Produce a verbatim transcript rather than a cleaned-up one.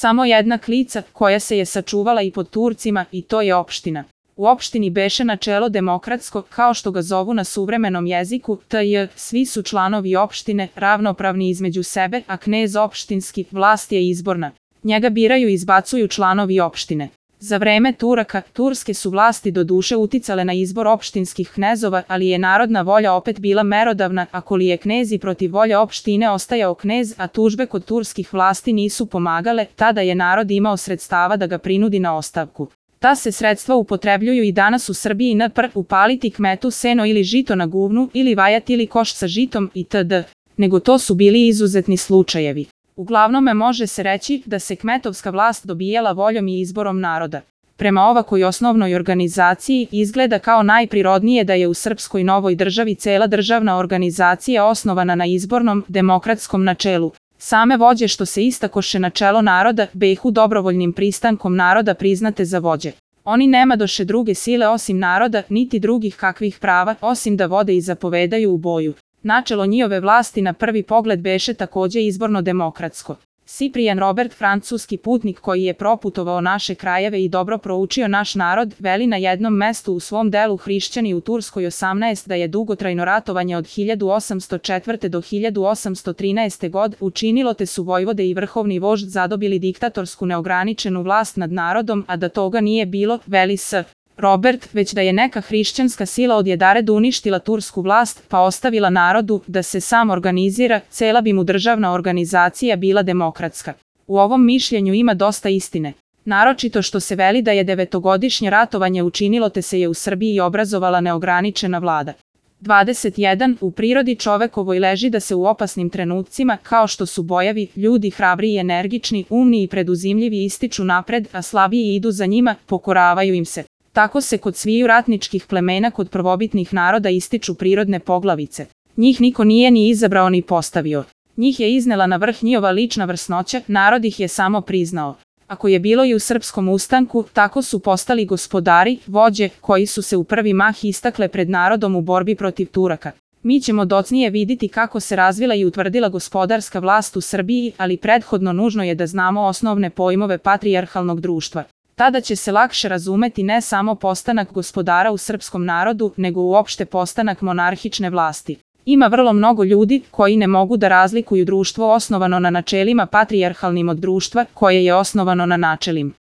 samo jedna klica koja se je sačuvala i pod Turcima i to je opština. U opštini beše načelo demokratsko, kao što ga zovu na suvremenom jeziku, tj. svi su članovi opštine ravnopravni između sebe, a knez opštinski, vlast je izborna. Njega biraju i izbacuju članovi opštine. Za vreme Turaka, turske su vlasti do duše uticale na izbor opštinskih knezova, ali je narodna volja opet bila merodavna, ako li je knez i protiv volje opštine ostajao knez, a tužbe kod turskih vlasti nisu pomagale, tada je narod imao sredstava da ga prinudi na ostavku. Ta se sredstva upotrebljuju i danas u Srbiji npr. upaliti kmetu seno ili žito na guvnu ili vajati ili koš sa žitom itd. Nego to su bili izuzetni slučajevi. Uglavnome može se reći da se kmetovska vlast dobijala voljom i izborom naroda. Prema ovakoj osnovnoj organizaciji izgleda kao najprirodnije da je u srpskoj novoj državi cela državna organizacija osnovana na izbornom, demokratskom načelu. Same vođe što se istakoše na čelo naroda, behu dobrovoljnim pristankom naroda priznate za vođe. Oni nemadoše druge sile osim naroda, niti drugih kakvih prava, osim da vode i zapovedaju u boju. Načelo njihove vlasti na prvi pogled beše takođe izborno demokratsko. Ciprian Robert, francuski putnik koji je proputovao naše krajeve i dobro proučio naš narod, veli na jednom mestu u svom delu Hrišćani u Turskoj osamnaest da je dugotrajno ratovanje od hiljadu osamsto četvrte do hiljadu osamsto trinaeste god učinilo te su vojvode i vrhovni vožd zadobili diktatorsku neograničenu vlast nad narodom, a da toga nije bilo, veli s. Robert, već da je neka hrišćanska sila odjedared uništila tursku vlast pa ostavila narodu da se sam organizira, cela bi mu državna organizacija bila demokratska. U ovom mišljenju ima dosta istine. Naročito što se veli da je devetogodišnje ratovanje učinilo te se je u Srbiji obrazovala neograničena vlada. dvadeset jedan. U prirodi čovekovoj leži da se u opasnim trenucima, kao što su bojavi, ljudi hrabri i energični, umni i preduzimljivi ističu napred, a slabiji idu za njima, pokoravaju im se. Tako se kod sviju ratničkih plemena kod prvobitnih naroda ističu prirodne poglavice. Njih niko nije ni izabrao ni postavio. Njih je iznela na vrh njihova lična vrsnoća, narod ih je samo priznao. Ako je bilo i u srpskom ustanku, tako su postali gospodari, vođe, koji su se u prvi mah istakle pred narodom u borbi protiv Turaka. Mi ćemo docnije vidjeti kako se razvila i utvrdila gospodarska vlast u Srbiji, ali prethodno nužno je da znamo osnovne pojmove patrijarhalnog društva. Tada će se lakše razumeti ne samo postanak gospodara u srpskom narodu, nego uopšte postanak monarhične vlasti. Ima vrlo mnogo ljudi koji ne mogu da razlikuju društvo osnovano na načelima patrijarhalnim od društva koje je osnovano na načelima